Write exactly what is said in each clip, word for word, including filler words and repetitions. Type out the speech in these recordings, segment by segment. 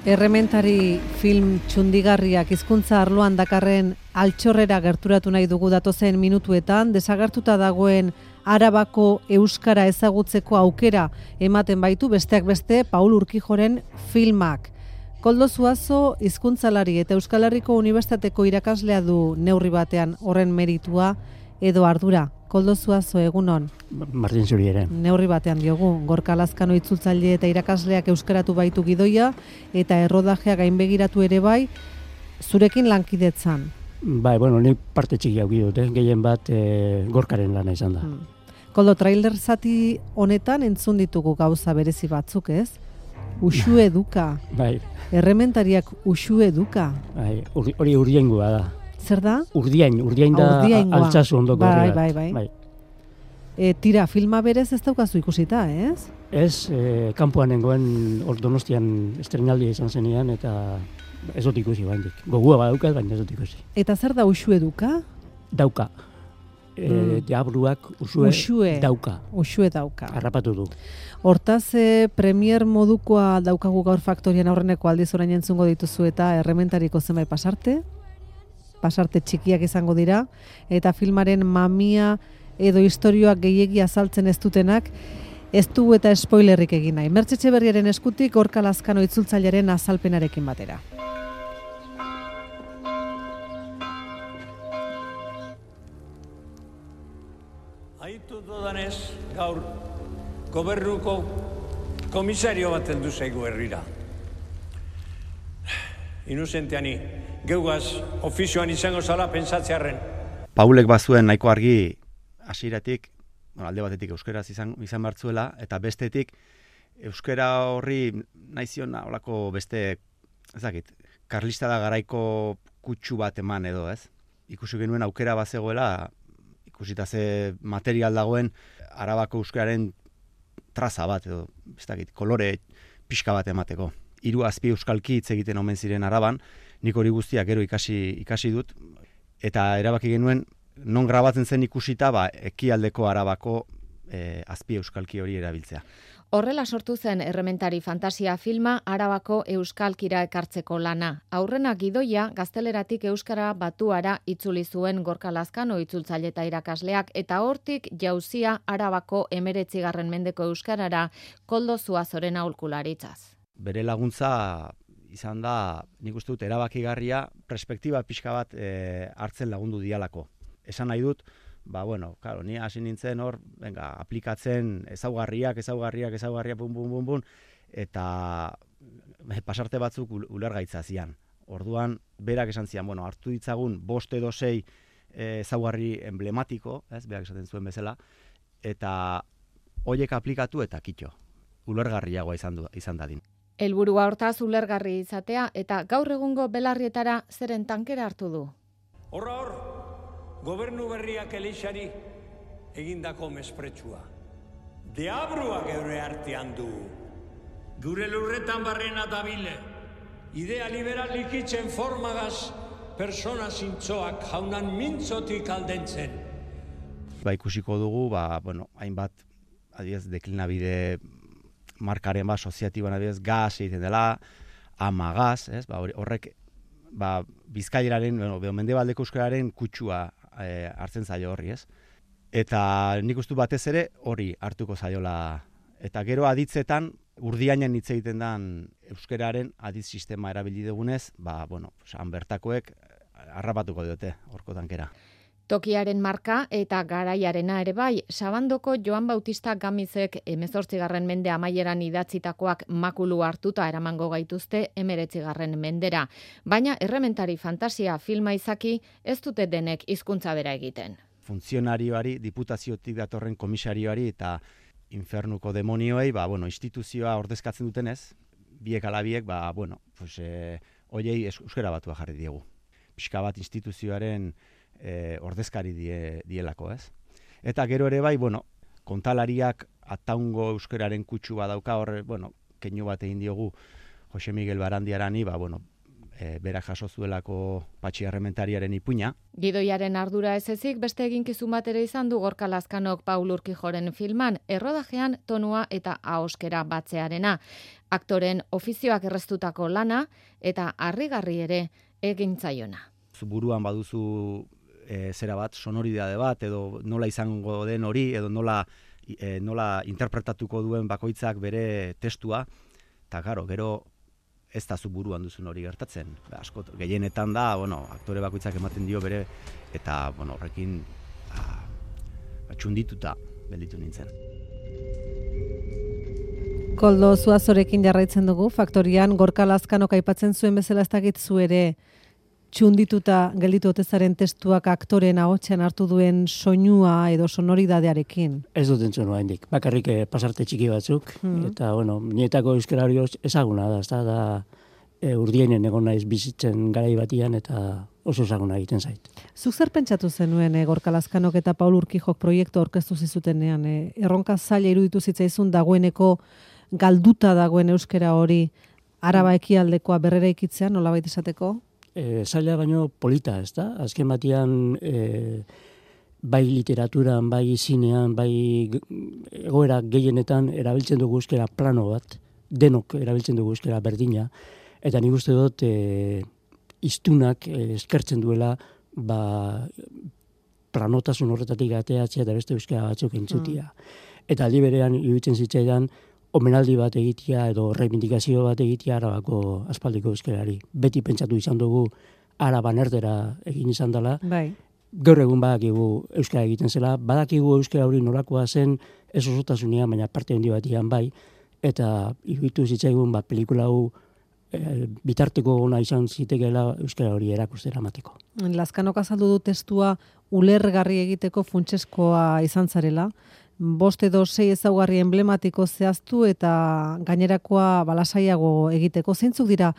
Errementari film txundigarriak hizkuntza arloan dakarren altxorrera gerturatu nahi dugu datozen minutuetan, desagertuta dagoen Arabako euskara ezagutzeko aukera ematen baitu besteak beste Paul Urkijoren filmak. Koldo Zuazo hizkuntzalari eta Euskal Herriko Unibertsitateko irakaslea du neurri batean horren meritua edo ardura. Koldo Zuazo, egunon. Martin zuri ere. Neurri batean diogu, Gorka Lazkano itzultzaile eta irakasleak euskaratu baitu gidoia eta errodajea gainbegiratu ere bai, zurekin lankidetzan. Bai, bueno, nik parte txiki hau dut, eh? Gehien bat e, Gorkaren lana izan da. Hmm. Koldo, trailer zati honetan entzun ditugu gauza berezi batzuk, ez? Uxu eduka. Bai. Errementariak uxu eduka. Bai, hori urdiaingoa da. Zer da? Urdiain, urdiain da altsasu ondoko bai, horri bat. Bai, bai, bai. E, tira, filma berez ez daukazu ikusita, ez? Ez, e, kanpoan nengoen hor Donostian estrenaldia izan zenean eta ez dut ikusi baindik. Gogua badaukat, baina ez dut ikusi. Eta zer da uxu eduka? Dauka. E, mm. Diabluak usue, usue dauka. Usue dauka. Harrapatu du. Hortaz, e, premier modukoa daukagu gaur Faktorian aurreneko aldiz orain entzungo dituzu eta errementariko zenbait pasarte, pasarte txikiak izango dira, eta filmaren mamia edo istorioak gehiegi azaltzen ez dutenak, ez dugu eta spoilerrik egin nahi. Mertxe Etxeberriaren eskutik Gorka Lazkano itzultzailearen azalpenarekin batera. Aitu dodanez, gaur gobernuko komisario bat heldu zaigu herrira. Inuzenteani, geugaz ofizioan izango zala pentsatzearren. Paulek bazuen nahiko argi hasieratik, bueno, alde batetik euskeraz izan, izan bartzuela, eta bestetik euskera horri nahi zion holako beste, ezakit, karlista da garaiko kutsu bat eman edo, ez? Ikusi genuen aukera bazegoela, ikusita ze material dagoen Arabako euskararen traza bat edo, ez dakit, kolore pixka bat emateko. Hiru azpi euskalki hitz egiten omen ziren Araban, nik hori guztiak gero ikasi, ikasi dut, eta erabaki genuen non grabatzen zen ikusita ba, ekialdeko Arabako e, azpi euskalki hori erabiltzea. Horrela sortu zen Errementari fantasia filma Arabako euskalkira ekartzeko lana. Aurrena gidoia gazteleratik euskara batuara itzuli zuen Gorka Lazkano itzultzaile eta irakasleak, eta hortik jauzia Arabako hemeretzigarren mendeko euskarara Koldo Zuazoren aholkularitzaz. Bere laguntza izan da, nik uste dut, erabakigarria, perspektiba pixka bat e, hartzen lagundu dialako. Esan nahi dut, ba, bueno, claro, ni hasi nintzen hor, venga, aplikatzen ezaugarriak, ezaugarriak, ezaugarriak, bun, bun, bun, bun, eta pasarte batzuk ulergaitza zian. Orduan, berak esan zian, bueno, hartu ditzagun bost edo sei ezaugarri emblematiko, ez, berak esaten zuen bezala, eta horiek aplikatu eta kitxo, ulergarriagoa izan, du, izan dadin. Helburua hortaz ulergarri izatea eta gaur egungo belarrietara zeren tankera hartu du. Horra hor, gobernu berriak elixari egindako mespretsua. Deabruak eure artean du. Gure lurretan barrena dabile. Idea liberal likitzen formagaz persona zintzoak jaunan mintzotik aldentzen. Ba, ikusiko dugu, ba, bueno, hainbat, adiez, deklinabide markaren ba, soziatiban adibidez, gaz egiten dela, ama gaz, ez? Ba, horrek ba, Bizkaieraren, bueno, mendebaldeko euskararen kutsua e, hartzen zaio horri, ez? Eta nik uste batez ere hori hartuko zaiola. Eta gero aditzetan, urdiainen hitz egiten den euskararen aditz sistema erabili dugunez, ba, bueno, han bertakoek harrapatuko diote horko tankera. Tokiaren marka eta garaiarena ere bai, Sabandoko Joan Bautista Gamizek hemezortzigarren mende amaieran idatzitakoak makulu hartuta eramango gaituzte hemeretzigarren mendera. Baina Errementari fantasia filma izaki ez dute denek hizkuntza bera egiten. Funtzionarioari, diputaziotik datorren komisarioari eta infernuko demonioei, ba, bueno, instituzioa ordezkatzen dutenez, biek ala biek, ba, bueno, pues, e, oiei euskara batua jarri diegu. Pixka bat instituzioaren E, ordezkari die, dielako, ez? Eta gero ere bai, bueno, kontalariak ataungo euskararen kutsu badauka horre, bueno, keinu bat egin diogu Jose Miguel Barandiarani, ba, bueno, e, berak jaso zuelako Patxi Errementariaren ipuina. Gidoiaren ardura ez ezik, beste eginkizun bat ere izan du Gorka Lazkanok Paul Urkijoren filman, errodajean tonua eta ahoskera batzearena. Aktoren ofizioak erreztutako lana eta harrigarri ere egin zaiona. Zu buruan baduzu e, zera bat, sonoridade bat, edo nola izango den hori, edo nola, e, nola interpretatuko duen bakoitzak bere testua, eta gero, gero ez da zu buruan duzun hori gertatzen. Asko, gehienetan da, bueno, aktore bakoitzak ematen dio bere, eta bueno, horrekin ba, ba, txundituta gelditu nintzen. Koldo, Zuazorekin jarraitzen dugu, Faktorian Gorka Lazkanok aipatzen zuen bezala ez dakit zu ere txundituta gelditu otezaren testuak aktoren ahotsean hartu duen soinua edo sonoridadearekin. Ez dut entzun oraindik. Bakarrik pasarte txiki batzuk, Mm. eta bueno, nietako euskara hori ezaguna da, ezta da e, urdienen egon naiz bizitzen garai batian eta oso ezaguna egiten zait. Zuk zer pentsatu zenuen e, Gorka Lazkanok eta Paul Urkijok proiektu aurkeztu zizutenean? E, erronka zaila iruditu zitzaizun dagoeneko galduta dagoen euskara hori Araba ekialdekoa berrera ikitzea, nolabait esateko? E, zaila baino polita, ez da? Azken batean e, bai literaturan, bai zinean, bai egoera gehienetan erabiltzen dugu euskara plano bat, denok erabiltzen dugu euskara berdina, eta nik uste dut e, iztunak e, eskertzen duela ba, planotasun horretatik ateatzea eta beste euskara batzuk entzutia. Mm. Eta aldi berean iruditzen zitzaidan omenaldi bat egitea edo reivindikazio bat egitea Arabako aspaldiko euskarari. Beti pentsatu izan dugu Araban erdera egin izan dela. Bai. Gaur egun badakigu euskara egiten zela, badakigu euskara hori nolakoa zen ez osotasunean, baina parte handi batian bai, eta iruditu zitzaigun bat pelikula hau e, bitarteko ona izan zitekeela euskara hori erakustera emateko. Lazkanok azaldu du testua ulergarri egiteko funtseskoa izan zarela. Bost edo sei ezaugarri emblematiko zehaztu eta gainerakoa balasaiago egiteko. Zeintzuk dira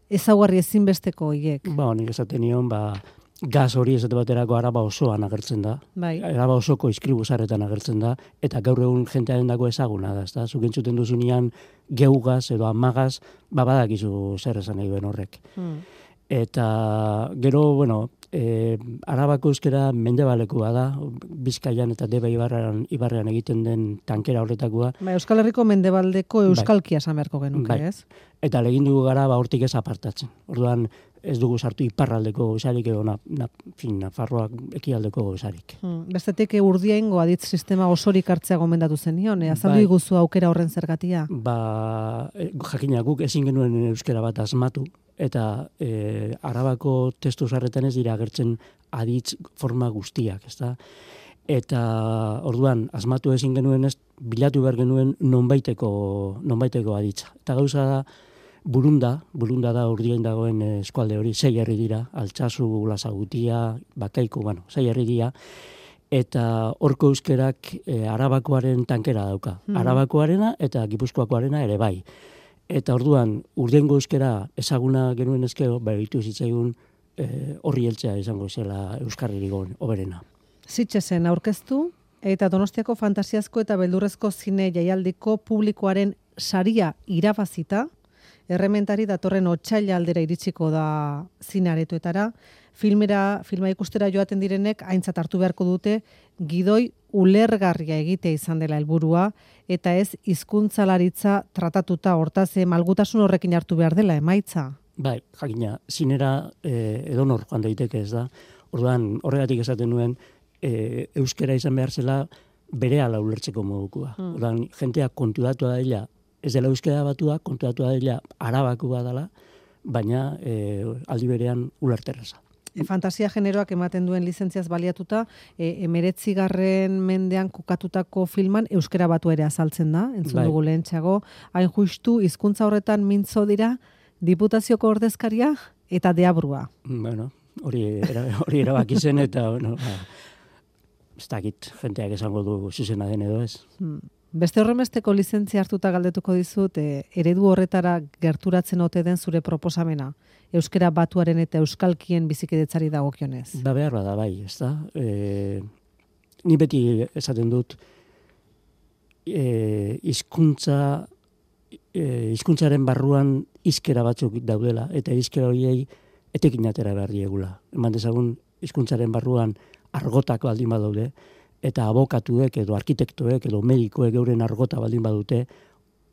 ezaugarri ezinbesteko hiek? Ba, nik esaten nion, ba, gaz hori esate baterako Araba osoan agertzen da. Bai. Araba osoko iskribuzarretan agertzen da, eta gaur egun jentearen dago ezaguna da, ezta? Zuk entzuten duzunean geugaz edo amagaz, ba, badakizu zer esan nahi duen horrek. Hmm. Eta gero, bueno, e, Arabako euskara mendebalekoa da, Bizkaian eta Deba ibarrean, ibarrean egiten den tankera horretakoa. Ba, Euskal Herriko mendebaldeko euskalkia esan beharko genuke, Bai. ez? Eta legin dugu gara ba, hortik ez apartatzen. Orduan ez dugu sartu iparraldeko gozarik edo na, na, fin, Nafarroak ekialdeko gozarik. Hmm. Bestetik e, Urdiaingo aditz sistema osorik hartzea gomendatu zenion, e, azaldu Bai. iguzu aukera horren zergatia? Ba, e, jakina guk ezin genuen euskara bat asmatu, eta e, Arabako testu zarretan ez dira agertzen aditz forma guztiak, ezta? Eta orduan asmatu ezin genuen ez bilatu behar genuen nonbaiteko nonbaiteko aditza. Eta gauza da Burunda, Burunda da Urdiain dagoen eskualde hori, sei herri dira, Altsasu, Lasagutia, Bakaiko, bueno, sei herri dira, eta horko euskerak e, Arabakoaren tankera dauka. Mm. Arabakoarena eta Gipuzkoakoarena ere bai. Eta orduan, Urdiaingo euskera ezaguna genuen ezkeo, behitu zitzaigun e, horri heltzea izango zela euskarririk oberena. Sitxesen aurkeztu eta Donostiako fantasiazko eta beldurrezko zine jaialdiko publikoaren saria irabazita, Errementari datorren otsaila aldera iritsiko da zinearetoetara. Filmera, filma ikustera joaten direnek aintzat hartu beharko dute gidoi ulergarria egitea izan dela helburua eta ez hizkuntzalaritza tratatuta, hortaz malgutasun horrekin hartu behar dela emaitza. Bai, jakina, zinera e, edonor joan daiteke ez da. Orduan, horregatik esaten nuen, e, euskera izan behar zela berehala ulertzeko modukua. Hmm. Orduan, jentea konturatu da dela, ez dela euskara batua, konturatu da dela arabakua dela, baina e, aldi berean ulerterraza. E, fantasia generoak ematen duen lizentziaz baliatuta, e, emeretzigarren mendean kokatutako filman euskara batu ere azaltzen da, entzun bai. dugu lehentxeago, hain justu hizkuntza horretan mintzo dira diputazioko ordezkaria eta deabrua. Bueno, hori, era, hori erabaki zen eta, bueno, ba, ez dakit, jenteak esango du zuzena den edo ez. Hmm. Beste horremesteko lizentzia hartuta galdetuko dizut, e, eredu horretara gerturatzen ote den zure proposamena, euskara batuaren eta euskalkien bizikidetzari dagokionez. Ba behar bada bai, ez da. E, ni beti esaten dut, e, hizkuntza, e, hizkuntzaren barruan hizkera batzuk daudela, eta hizkera horiei etekin atera behar diegula. Eman dezagun, hizkuntzaren barruan argotak baldin badaude, eta abokatuek edo arkitektoek edo medikoek euren argota baldin badute,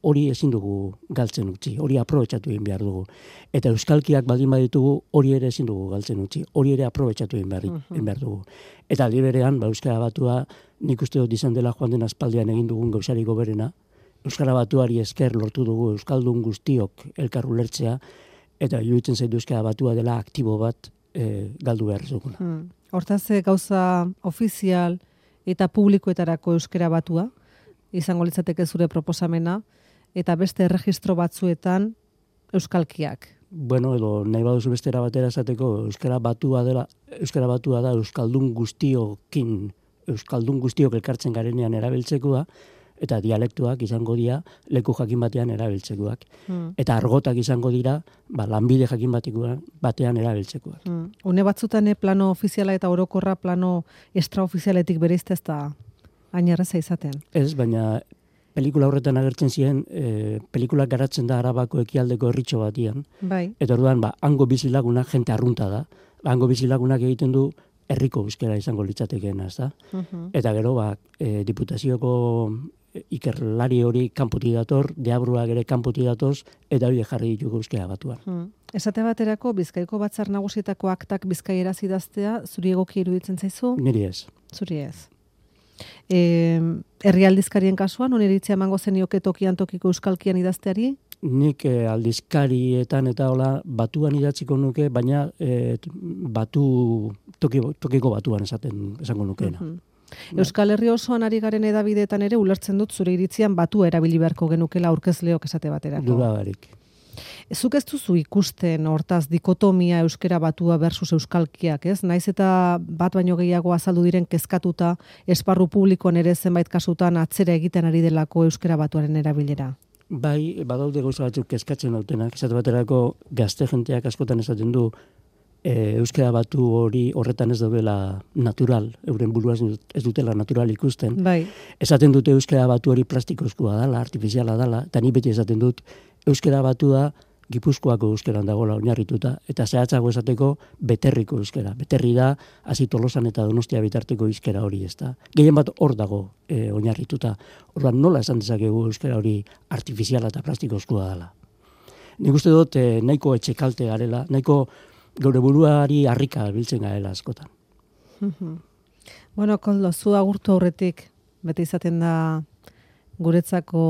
hori ezin dugu galtzen utzi, hori aprobetxatu egin behar dugu. Eta euskalkiak baldin baditugu, hori ere ezin dugu galtzen utzi, hori ere aprobetxatu egin behar, egin behar dugu. Eta aldi berean, ba, Euskara Batua, nik uste dut izan dela joan den aspaldian egin dugun gauzariko berena, Euskara Batuari esker lortu dugu euskaldun guztiok elkar ulertzea, eta iruditzen zaitu Euskara Batua dela aktibo bat e, galdu behar zuguna. Hmm. Hortaz, gauza ofizial eta publikoetarako Euskara Batua, izango litzateke zure proposamena, eta beste erregistro batzuetan euskalkiak. Bueno, edo nahi baduzu bestera batera esateko Euskara Batua dela, Euskara Batua da euskaldun guztiokin, euskaldun guztiok elkartzen garenean erabiltzekoa, eta dialektuak izango dira leku jakin batean erabiltzekoak. Hmm. Eta argotak izango dira ba, lanbide jakin batean erabiltzekoak. Hmm. Une batzutan plano ofiziala eta orokorra plano extraofizialetik bereizte ez da hain erraza izaten. Ez, baina pelikula horretan agertzen ziren, e, pelikulak garatzen da Arabako ekialdeko herritxo batian. Bai. Eta orduan, ba, hango bizilagunak jente arrunta da. Ba, hango bizilagunak egiten du herriko euskera izango litzatekeena, ez da? Uh-huh. Eta gero, ba, e, diputazioko ikerlari hori kanpoti dator, deabruak ere kanpoti datoz, eta hori jarri ditugu Euskara Batuan. Hmm. Esate baterako, Bizkaiko Batzar Nagusietako aktak bizkaieraz idaztea, zuri egoki iruditzen zaizu? Niri ez. Zuri ez. E, herri aldizkarien kasuan, oniritzia emango zenioke tokian tokiko euskalkian idazteari? Nik eh, aldizkarietan eta hola batuan idatziko nuke, baina eh, batu, toki, tokiko batuan esaten esango nukeena. Uh-huh. Euskal Herri osoan ari garen edabideetan ere ulertzen dut zure iritzian batua erabili beharko genukela aurkezleok esate baterako. Dudabarik. Zuk ez duzu ikusten hortaz dikotomia euskera batua versus euskalkiak, ez? Naiz eta bat baino gehiago azaldu diren kezkatuta esparru publikoan ere zenbait kasutan atzera egiten ari delako euskera batuaren erabilera. Bai, badaude gauza batzuk kezkatzen dautenak, esate baterako gazte jenteak askotan esaten du E, euskara batu hori horretan ez daudela natural, euren burua ez dutela natural ikusten. Bai. Esaten dute euskara batu hori plastikozkoa dala, artifiziala dala, eta ni beti esaten dut euskara batua Gipuzkoako euskeran dagoela oinarrituta, eta zehatzago esateko beterriko euskera. Beterri da, hasi Tolosan eta Donostia bitarteko euskera hori, ez da. Gehien bat hor dago e, oinarrituta. Orduan nola esan dezakegu euskara hori artifiziala eta plastikozkoa dala. Nik uste dut e, nahiko etxekalte garela, nahiko gaur buruari harrika biltzen garela askotan. Bueno, Koldo, zu agurtu aurretik, beti izaten da guretzako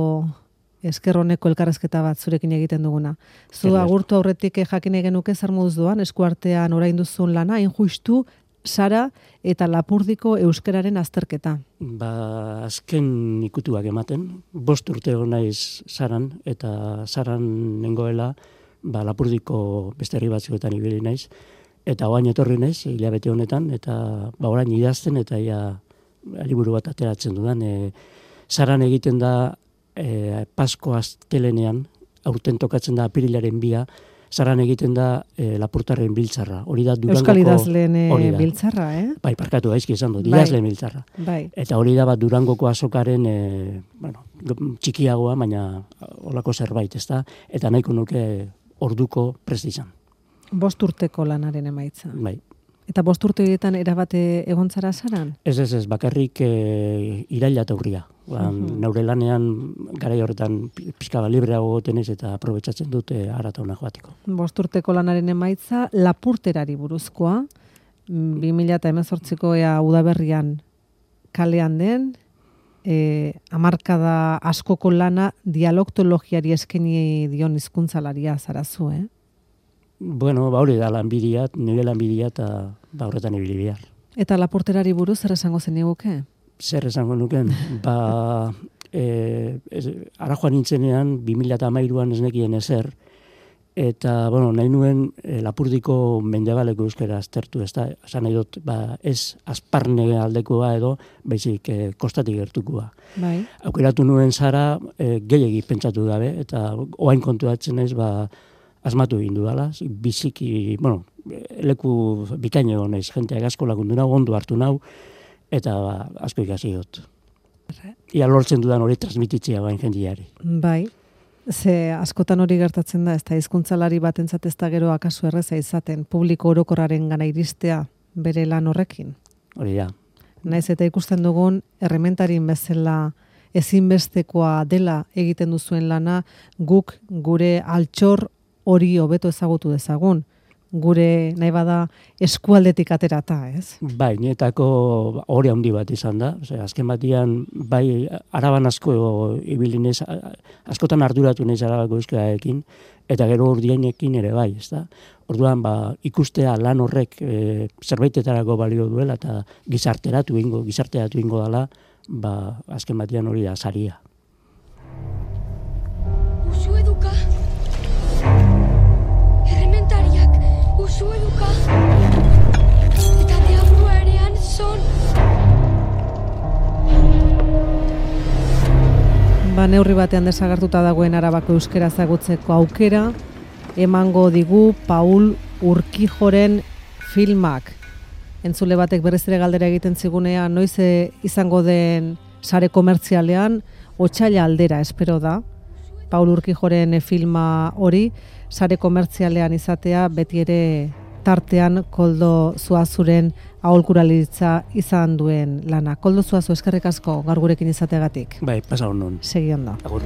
esker honeko elkarrezketa bat zurekin egiten duguna. Zu agurtu aurretik jakin genuke zer moduz doan, eskuartean orain duzun lana, injustu, Sara eta Lapurdiko euskararen azterketa. Ba, azken ikutuak ematen, bost urte naiz Saran, eta Saran nengoela, ba, Lapurdiko beste herri batzuetan ibili naiz, eta oain etorri naiz, hilabete honetan, eta ba, orain idazten, eta ia liburu bat ateratzen dudan. E, Saran egiten da e, Pasko astelenean, aurten tokatzen da apirilaren bia, Saran egiten da e, Lapurtarren biltzarra. Hori da Durangoko... Euskal idazleen biltzarra, eh? Bai, parkatu gaizki esan dut, idazleen biltzarra. Bai. Eta hori da bat Durangoko azokaren, e, bueno, txikiagoa, baina holako zerbait, ez da? Eta nahiko nuke orduko prest izan. Bost urteko lanaren emaitza. Bai. Eta bost urte horietan erabate egontzara Saran? Ez, ez, ez, bakarrik e, iraila eta urria. Ba, uh-huh. Naure lanean garai horretan pixka bat libreago gotenez eta aprobetsatzen dute arata hona joateko. Bost urteko lanaren emaitza Lapurterari buruzkoa, bi mila hemezortziko ea udaberrian kalean den, e, hamarkada askoko lana dialoktologiari eskaini dion hizkuntzalaria zarazu, eh? Bueno, ba hori da lanbidia, nire lanbidia eta ba horretan ibili behar. Eta Lapurterari buruz zer esango zeniguke? Zer esango nuken? Ba, e, ez, ara joan nintzenean, bi mila hamairuan ez nekien ezer, eta, bueno, nahi nuen e, Lapurdiko mendebaleko euskera aztertu, ez da, esan nahi dut, ba, ez azparne aldekoa edo, baizik e, kostatik gertukoa. Bai. Aukeratu nuen Sara, e, gehiegi pentsatu dabe, eta oain kontuatzen naiz, ba, asmatu egin dudala, biziki, bueno, leku bikaino naiz, jenteak asko lagundu nau, ondo hartu nau, eta ba, asko ikasi dut. Ia lortzen dudan hori transmititzea bain jendiari. Bai. Ze askotan hori gertatzen da, ez da hizkuntzalari batentzat ez da gero akaso erreza izaten, publiko orokorraren gana iristea bere lan horrekin. Hori da. Naiz eta ikusten dugun errementarin bezala ezinbestekoa dela egiten duzuen lana, guk gure altxor hori hobeto ezagutu dezagun. Gure nahi bada eskualdetik aterata, ez? Bai, nietako hori handi bat izan da. Osea, azken batian, bai, araban asko ibilinez, askotan arduratu naiz arabako euskararekin, eta gero urdienekin ere bai, ez da? Orduan, ba, ikustea lan horrek e, zerbaitetarako balio duela, eta gizarteratu ingo, gizarteratu ingo dela, ba, azken batian hori da saria. Usu eduka, errementariak, usu eduka, eta deabrua erean son. Ba, neurri batean desagertuta dagoen Arabako euskara ezagutzeko aukera, emango digu Paul Urkijoren filmak. Entzule batek berriz ere galdera egiten zigunean, noiz izango den sare komertzialean, otsaila aldera espero da. Paul Urkijoren filma hori, sare komertzialean izatea, beti ere tartean Koldo Zuazuren aholkularitza izan duen lana. Koldo Zuazu, eskerrik asko gaur gurekin izateagatik. Bai, pasa onon. Segi ondo. Agur.